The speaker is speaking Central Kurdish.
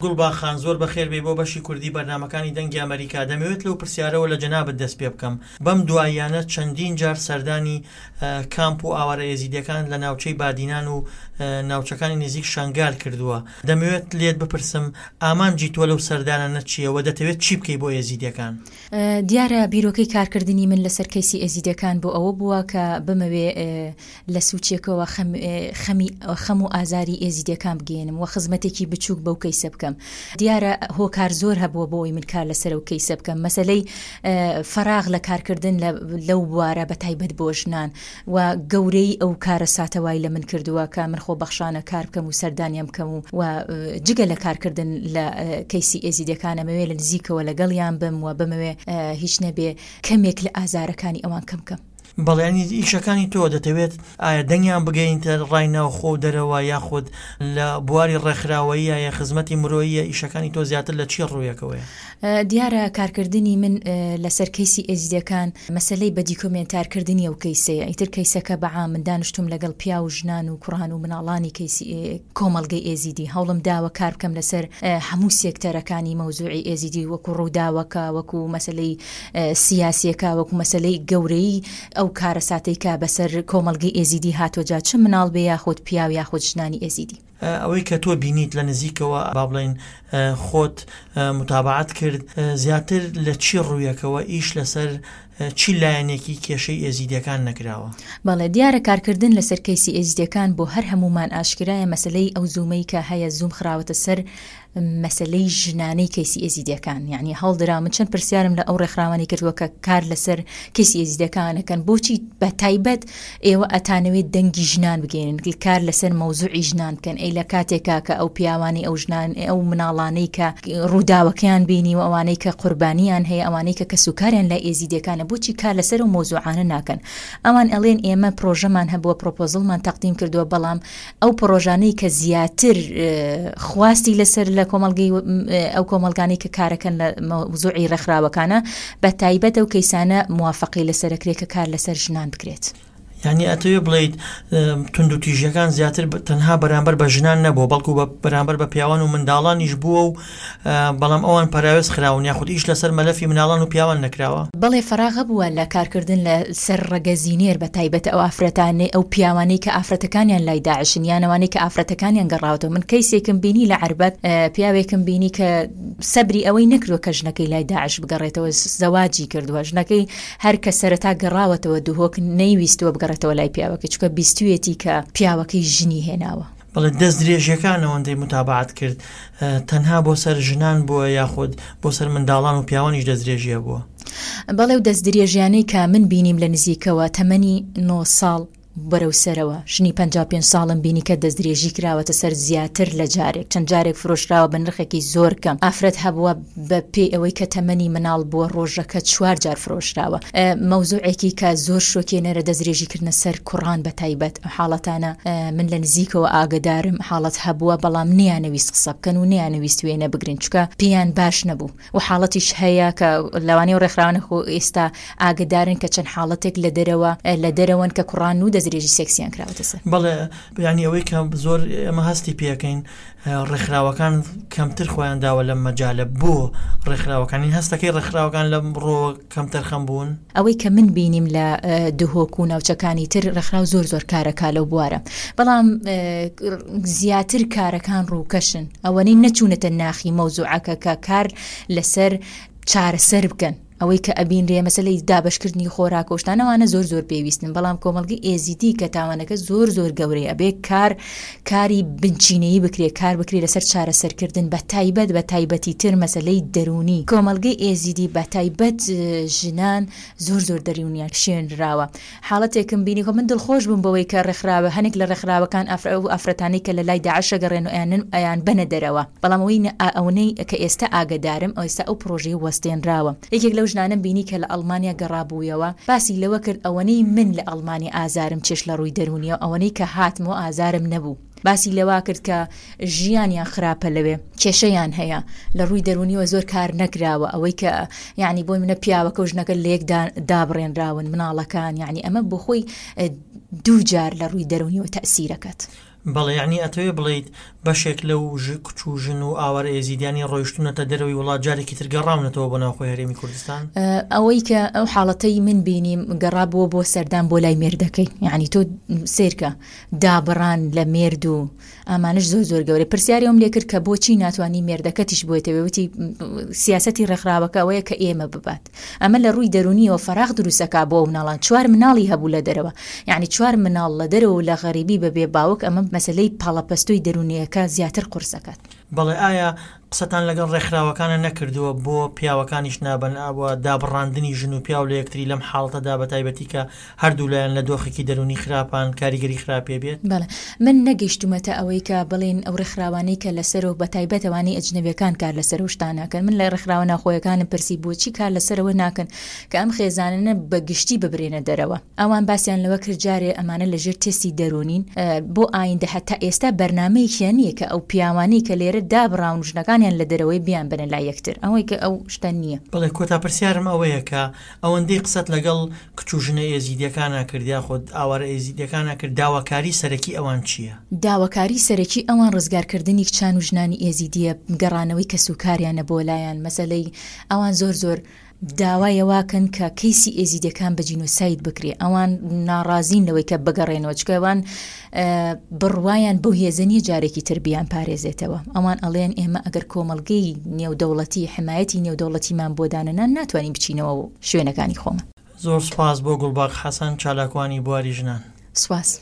گوڵباخ خان زۆر بەخێر بێی بۆ بەشی کوردی بەرنامەکانی دەنگی ئەمەریکا، دەمەوێت لەو پرسیارەوە لە جەنابت دەست پێ بکەم، بەم دواییانە چەندین جار سەردانی کامپ و ئاوارە ئێزیدیەکان لە ناوچەی بادینان و ناوچەکانی نزیک شەنگال کردووە، دەمەوێت لێت بپرسم ئامانجی تۆ لەو سەردانانە چییە و دەتەوێت چی بکەی بۆ ئێزیدیەکان؟ دیارە بیرۆکەی کارکردنی من لەسەر کەیسی ئێزیدیەکان بۆ ئەوە بووە کە بمەوێ لە سوچێکەوە خەمی خەم و ئازاری ئێزیدیەکان بگەیەنم و خزمەتێکی بچووک بەو کەیسە بکەم. دیارە هۆکار زۆر هەبووە بۆ ئەوەی من کار لەسەر ئەو کەیسە بکەم، مەسەلەی فەراغ لە کارکردن لەو بوارە بە تایبەت بۆ ژنان و گەورەیی ئەو کارەساتە وای لە من کردووە کە من خۆبەخشانە کار بکەم و سەردانیان بکەم و و جگە لە کارکردن لە کەیسی ئێزیدیەکان ئەمەوێ لە نزیکەوە لەگەڵیان بم و بمەوێ هیچ نەبێ کەمێک لە ئازارەکانی ئەوان کەم بکەم. بەڵێ یانی ئیشەکانی تۆ دەتەوێت ئایا دەنگیان بگەینتە ڕای ناوخۆ و دەرەوە یاخود لە بواری ڕێکخراوەییە یا خزمەتی مرۆییە ئیشەکانی تۆ زیاتر لە چی ڕوویەکەوەیە؟ دیارە کارکردنی من لەسەر کەیسی ئێزیدیەکان مەسەلەی بە دیکۆمێنتارکردنی ئەو کەیسەیە ئیتر کەیسەکە بە عام من دانیشتووم لەگەڵ پیاو و ژنان و کوڕان و مناڵانی کەیسی کۆمەڵگەی ئێزیدی هەوڵم داوە کار بکەم لەسەر هەموو سێکتەرەکانی مەوزوعی ئێزیدی وەکو ڕووداوەکە وەکو مەسەلەی سیاسیەکە وەکو مەسەلەی گەورەیی ئەو کارەساتەی کە بەسەر کۆمەڵگەی ئێزیدی هاتووە جا چ مناڵ بێ یاخود پیاو یاخود ژنانی ئێزیدی. ئەوەی کە تۆ بینیت لە نزیکەوە با بڵێین خۆت متابەعەت کرد زیاتر لە چی ڕوویەکەوە ئیش لەسەر چی لایەنێکی کێشەی ئێزیدیەکان نەکراوە؟ بەڵێ دیارە کارکردن لەسەر کەیسی ئێزیدیەکان بۆ هەر هەموومان ئاشکرایە مەسەلەی ئەو زوومەی کە هەیە زووم خراوەتە سەر مەسەلەی ژنانەی کەیسی ئێزیدیەکان یعنی هەڵدرا من چەند پرسیارم لە ئەو ڕێکخراوانی کردووە کە کار لەسەر کەیسی ئێزیدەکانەکەن بۆچی بە تایبەت ئێوە ئەتانەوێت دەنگی ژنان بگەێنن کار لەسەر مەوزوعی ژنان بکەن ئەی لە کاتێکا کە ئەو پیاوانی ئەو ژنان ئەو مناڵانەی کە ڕووداوەکەیان بینی و ئەوانەی کە قوربانیان هەیە ئەوانەی کە کەسوکاریان لای ئێزیدیەکانە بۆچی کار لەسەر ئەو مەوزوعانە ناکەن ئەوان ئەڵێن ئێمە پرۆژەمان هەبووە پرۆپۆزڵمان تەقدیم کردووە بەڵام ئەو پڕۆژانەی کە زیاتر خواستی لەسەر لە کۆمەڵگەی ئەو کۆمەڵگانەی کە کارەکەن لە مەوزوعی ڕێکخراوەکانە بە تایبەت ئەو کەیسانە موافقەی لەسەرەکرێت کە کار لەسەر ژنان بکرێت. یانی ئەتەوێ بڵێیت توندوتیژیەکان زیاتر تەنها بەرامبەر بە ژنان نەبووە بەڵکو بە بەرامبەر بە پیاوان و منداڵانیش بووە و بەڵام ئەوان پەراوێز خراون یاخود ئیش لەسەر مەلەفی مناڵان و پیاوان نەکراوە؟ بەڵێ فەراغ هەبووە لە کارکردن لە سەر ڕەگەزی نێر بە تایبەت ئەو ئافرەتانەی ئەو پیاوانەی کە ئافرەتەکانیان لای داعشن یان ئەوانەی کە ئافرەتەکانیان گەڕاوەتەوە من کەیسێکم بینی لە عەربەت پیاوێکم بینی کە سەبری ئەوەی نەکردوە کە ژنەکەی لای داعش بگەڕێتەوە زەواجی کردووە ژنەکەی هەر کە سەرەتا گەڕاوەتەوە دهۆک نەیویستووە بگەڕێتەوە لای پیاوەکەی چونکە بیستویەتی کە پیاوەکەی ژنی هێناوە. بەڵێ دەستدرێژیەکان ئەوەندەی متابەعەت کرد تەنها بۆ سەر ژنان بووە یاخود بۆ سەر منداڵان و پیاوانیش دەستدرێژی هەبووە؟ بەڵێ و دەستدرێژیانەی کە من بینیم لە نزیکەوە تەمەنی نۆ ساڵ بەرەو سەرەوە ژنی 55 ساڵم بینی کە دەستدرێژی کراوەتە سەر زیاتر لە جارێک چەند جارێک فرۆشراوە بە نرخێکی زۆر کەم ئافرەت هەبووە بە پێی ئەوەی کە تەمەنی مناڵ بووە ڕۆژەکە چوار جار فرۆشراوە مەوزوعێکی کە زۆر شۆکێنەرە دەستدرێژی کردنە سەر کوڕان بە تایبەت ئەم حاڵەتانە من لە نزیکەوە ئاگەدارم حاڵەت هەبووە بەڵام نیانەویست قسە بکەن و نیانەویست وێنە بگرن چکە پێیان باش نەبوو و حاڵەتیش هەیە کە لەوانەیە و ڕێکخراوانە خۆ ئێستا ئاگدارن کە چەند حاڵەتێک لە دەرەوە لە دەرەوەن کە کوڕان و دەستدرێژی سێکسیان کراوەتە سەر. بەڵێ یانی ئەوەی کە زۆر ئێمە هەستی پێەکەین ڕێکخراوەکان کەمتر خۆیان داوە لەم مەجالە بۆ ڕێکخراوەکانی هەستەکەی ڕێکخراوەکان لەم ڕۆ کەمتەرخەم بوون؟ ئەوەی کە من بینیم لە دهۆک و ناوچەکانی تر ڕێکخراو زۆر زۆر کارەکا لەو بوارە بەڵام زیاتر کارەکان ڕووکەشن ئەوەنەی نەچوونەتە ناخی مەوزوعەکە کە کار لەسەر چارەسەر بکەن ئەوەی کە ئەبینرێ مەسەلەی دابەشکردنی خۆراک و شتان ئەوانە زۆر زۆر پێویستن بەڵام کۆمەڵگەی ئێزیدی کە تاوانەکە زۆر زۆر گەورەیە ئەبێ کار کاری بنچینەیی بکرێ کار بکرێ لەسەر چارەسەرکردن بە تایبەت بە تایبەتی تر مەسەلەی دەروونی کۆمەڵگەی ئێزیدی بە تایبەت ژنان زۆر زۆر دەروونیان شێنراوە حاڵەتێکم بینی خۆ من دڵخۆش بووم بەوەی کە ڕێکخراوە هەنێک لە ڕێکخراوەکان ئەو ئافرەتانەی کە لە لای داعش ئەگەڕێن و ئەیانن ئەیان بەنە دەرەوە بەڵام ئەوەی ئەونەی کە ئێستا ئاگەدارم ئێستا ئەو پڕۆژەیە وەستێنراوە یەکێک لەو ژنانەم بینی کە لە ئەڵمانیا گەڕابوویەوە باسی لەوە کرد ئەوەنەی من لە ئەڵمانیا ئازارم چێشت لە ڕووی دەروونیەوە ئەوەنەی کە هاتمەوە ئازارم نەبوو. باسی لەوە کرد کە ژیانیان خراپە لەوێ کێشەیان هەیە لە ڕووی دەرونیەوە زۆر کار نەکراوە ئەوەی کە یعنی بۆ منە پیاوەکە و ژنەکە لێک دابڕێنراون مناڵەکان یعنی ئەمە بۆ خۆی دوو جار لە ڕووی دەرونیەوە تەسیرەکەت. بەڵێ یەعنی ئەتەوێ بڵێیت بەشێک لەو کچ و ژن و ئاوارە ئێزیدیانەی ڕۆیشتوونەتە دەرەوەی وڵات جارێکی تر گەڕاونەتەوە بۆ ناوخۆی هەرێمی کوردستان؟ ئەوەی کە ئەو حاڵەتەی من بینیم گەڕابووە بۆ سەردان بۆ لای مێردەکەی یعنی تۆ سێرکە دابڕان لە مێرد و ئامانش زۆر زۆر گەورە پرسیاری ئەوم لێکرد کە بۆچی ناتوانانی مێردەکەتیش بۆیتەوە وتی سیاسەتی ڕێکخراوەکە ئەوەیە کە ئێمە ببات ئەمە لە ڕووی دەروونیەوە فەراغ دروستەکا بۆ ئەو مناڵان چوار مناڵی هەبوو لە دەرەوە یعنی چوار مناڵ لە دەرەوە و لە غەریبی بە بێ باوک ئەمە مەسەلەی پاڵەپەستۆی دەروونیەکە زیاتر قورس ئەکات. بەڵێ ئایا قسەتان لەگەڵ ڕێکخراوەکانە نەکردووە بۆ پیاوەکانیش نابەن ئەوە دابڕاندنی ژن و پیاو لە یەکتری لەم حاڵەتەدا بەتایبەتی کە هەردوولایان لە دۆخێکی دەروونی خراپان کاریگەری خراپێ بێت؟ بەڵێ من نەگەیشتوومەتە ئەوەی کە بڵێین ئەو ڕێکخراوانەی کە لەسەرەوە بەتایبەت ئەوانەی ئەجنەبیەکان کار لەسەر ئەو شتانە ئەکەن من لە ڕێکخراوە ناوخۆیەکانم پرسی بۆچی کار لەسەرەوە ناکەن کە ئەم خێزانانە بە گشتی ببرێنە دەرەوە ئەوان باسیان لەوە کرد جارێ ئەمانە لەژێر تێستی دەروونین بۆ ئایندە هەتا ئێستا بەرنامەیەکیان نییە کە ئەو پیاوانەی کە لێرە دابڕاون و ژنەکانیان لە دەرەوەی بیانبەنە لای یەکتر ئەوەی کە ئەو شتە نییە. بەڵێ کۆتا پرسیارم ئەوەیە کە ئەوەندەی قسەت لەگەڵ کچ و ژنە ئێزیدیەکانا کرد یاخود ئاوارە ئێزیدیەکانا کرد داواکاری سەرەکی ئەوان چییە؟ داواکاری سەرەکی ئەوان ڕزگارکردنی کچان و ژنانی ئێزیدیە گەڕانەوەی کەسوکاریانە بۆ لایان مەسەلەی ئەوان زۆر زۆر داوای ئەوەکەن کە کەیسی ئێزیدیەکان بە جینۆساید بکرێ ئەوان ناڕازین لەوەی کە بگەڕێنەوە چکە ئەوان بڕوایان بەو هێزە نییە جارێکی تر بیان پارێزێتەوە ئەوان ئەڵێن ئێمە ئەگەر کۆمەڵگەی نێودەوڵەتی حمایەتی نێودەوڵەتیمان بۆ دانەنان ناتوانین بچینەوە شوێنەکانی خۆمان. زۆر سوپاس بۆ گوڵباخ حەسەن چالاکوانی بواری ژنان. سوپاس.